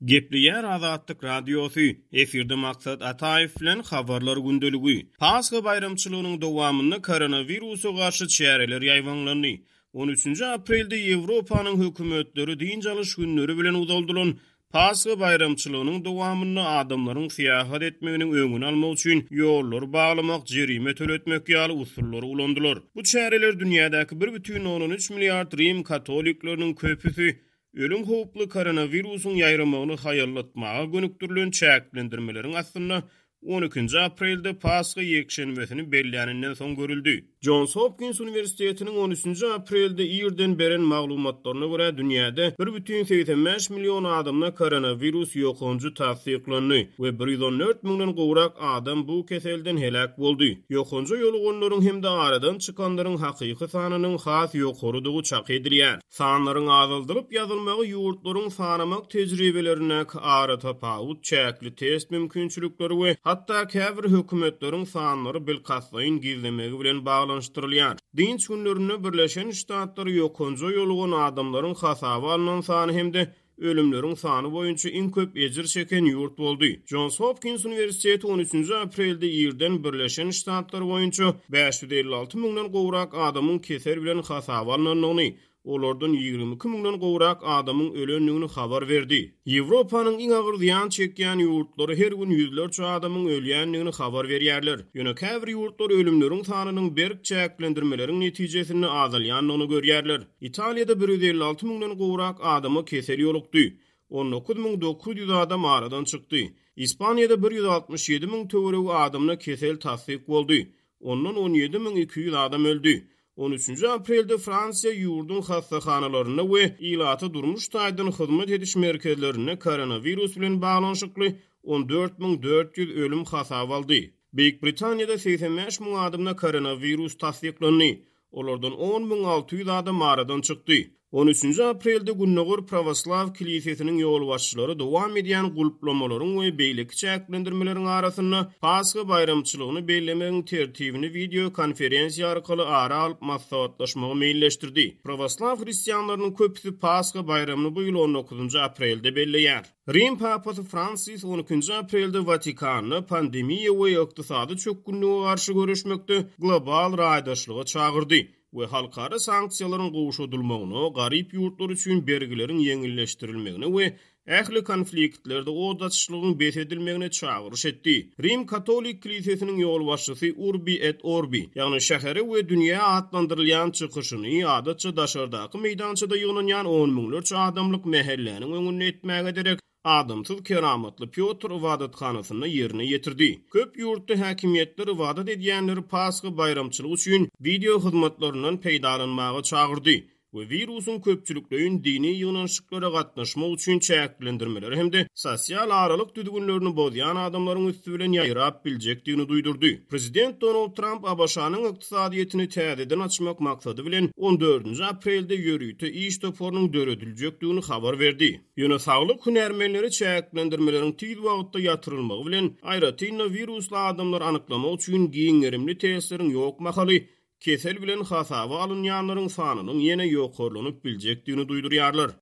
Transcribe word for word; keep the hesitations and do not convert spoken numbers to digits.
Gepleýär Azatlyk Radiosy, efirde Maksat Ataýew bilen Habarlar gündeligi. Pasha baýramçylygynyň dowamynda koronawirusa garşy çäreler ýaýbaňlandy. On üçünji aprelde Ýewropanyň hökümetleri dynç alyş günleri bilen uzaldylan Pasha baýramçylygynyň dowamynda adamlaryň syýahat etmeginiň öňüni almak üçin ýollary baglamak, jerime töletmek ýaly usullary ulandylar. Bu çäreler dünýädäki bir bütin ondan üç milliard rim katolikleriniň köpüsi ölüm howply koronawirusyň ýaýramagyny haýallatmaga gönükdirilen çäklendirmeleriň astynda on ikinji aprelde Pasha ýekşenbesini belläninden soň görüldi. Johns Hopkins Uniwersitetiniň on üçünji aprelde irden beren maglumatlaryna görä dünýäde bir bütin segsen bäş million adamda koronawirus ýokanjy tassyklandy we bir ýüz on dört müňden gowrak adam bu keselden heläk boldy. Ýokanja ýoluganlaryň hem-de aradan çykanlaryň hakyky sanynyň has ýokarydygy çak edilýär. Sanlaryň azaldylyp ýazylmagy ýurtlaryň sanamak tejribelerindäki ara tapawut, çäkli test mümkinçilikleri we hatda käbir hökümetleriň sanlary bilkastlaýyn gizlemegi bilen baglanyşdyrylýar. Dynç günlerinde Birleşen Ştatlary ýokanja ýolugan adamlaryň hasaba alynan sany hem-de ölümleriň sany boýunça iň köp ejir çeken ýurt boldy. Johns Hopkins Uniwersiteti on üçünji aprelde irden Birleşen Ştatlar boýunça bäş ýüz elli alty müňden gowrak adamyň kesel bilen hasaba alynandygyny, olardan ýigrimi iki müňden gowrak adamyň ölendigini habar berdi. Ýewropanyň iň agyr zyýan çekýän ýurtlary her gün ýüzlerçe adamyň ölýändigini habar berýärler. Ýöne käbir ýurtlar ölümleriň sanynyň berk çäklendirmeleriň netijesinde azalýandygyny görýärler. Italiýada bir ýüz elli alty müňden gowrak adama kesel ýolukdy. on dokuz müň dokuz ýüz adam aradan çykdy. Ispaniýada bir ýüz altmyş ýedi müň töweregi adamda kesel tassyk boldy. Ondan on ýedi müň iki ýüz adam öldi. On üçünji aprelde Fransiýa ýurduň hassahanalarynda we ilata durmuş taýdan hyzmat ediş merkezlerinde koronawirus bilen baglanyşykly on dört müň dört ýüz ölüm hasap aldy. Beýik Britaniýada segsen bäş müň adamda koronawirus tassyklandy. Olardan on müň alty ýüz adam aradan çykdy. On üçünji aprelde Gündogar Pravoslav Kilisesiniň ýolbaşçylary dowam edýän gulplamalaryň we beýleki çäklendirmeleriň arasynda Pasha baýramçylygyny bellemegiň tertibini video konferensiýa arkaly ara alyp maslahatlaşmagy meýilleşdirdi. Pravoslav hristianlarynyň köpüsi Pasha baýramyny bu ýyl on dokuzynjy aprelde belleýär. Rim Papasy Fransis on ikinji aprelde Watikanda pandemiýa we ykdysady çökgünlige garşy göreşmekde global raýdaşlyga çagyrdy we halkara sanksiýalaryň gowşadylmagyna, garyp ýurtlar üçin bergileriň ýeňilleşdirilmegine we ähli konfliktlerde od açyşlygyň bes edilmegine çagyryş etdi. Rim Katolik Kilisesiniň ýolbaşçysy Urbi et Orbi, ýagny şähere we dünýä atlandyrylýan çykyşyny adatça daşardaky meýdançada ýygnanýan on müňlerçe adamlyk mähelläniň öňünde etmäge derek adamsyz keramatly Pýotr ibadathanasynda ýerine ýetirdi. Köp ýurtda häkimiýetler ibadat edýänleri Pasha baýramçylygy üçin video hyzmatlaryndan peýdalanmaga çagyrdy we wirusyň köpçülikleýin dini ýygnanyşyklara gatnaşmak üçin çäklendirmeleri hem-de sosial aralyk düzgünlerini bozýan adamlaryň üsti bilen ýaýrap biljekdigini duýdurdy. Prezident Donald Trump ABŞ-nyň ykdysadyýetini täzeden açmak maksady bilen on dördünji aprelde ýörite iş toparynyň dörediljekdigini habar berdi. Ýöne saglyk hünärmenleri çäklendirmeleriň tiz wagtda ýatyrylmagy bilen aýratyn-da wirusly adamlary anyklamak üçin giň gerimli testleriň ýok mahaly kesel bilen hasaba alynýanlaryň sanynyň ýene ýokarlanyp biljekdigini duýdurýarlar.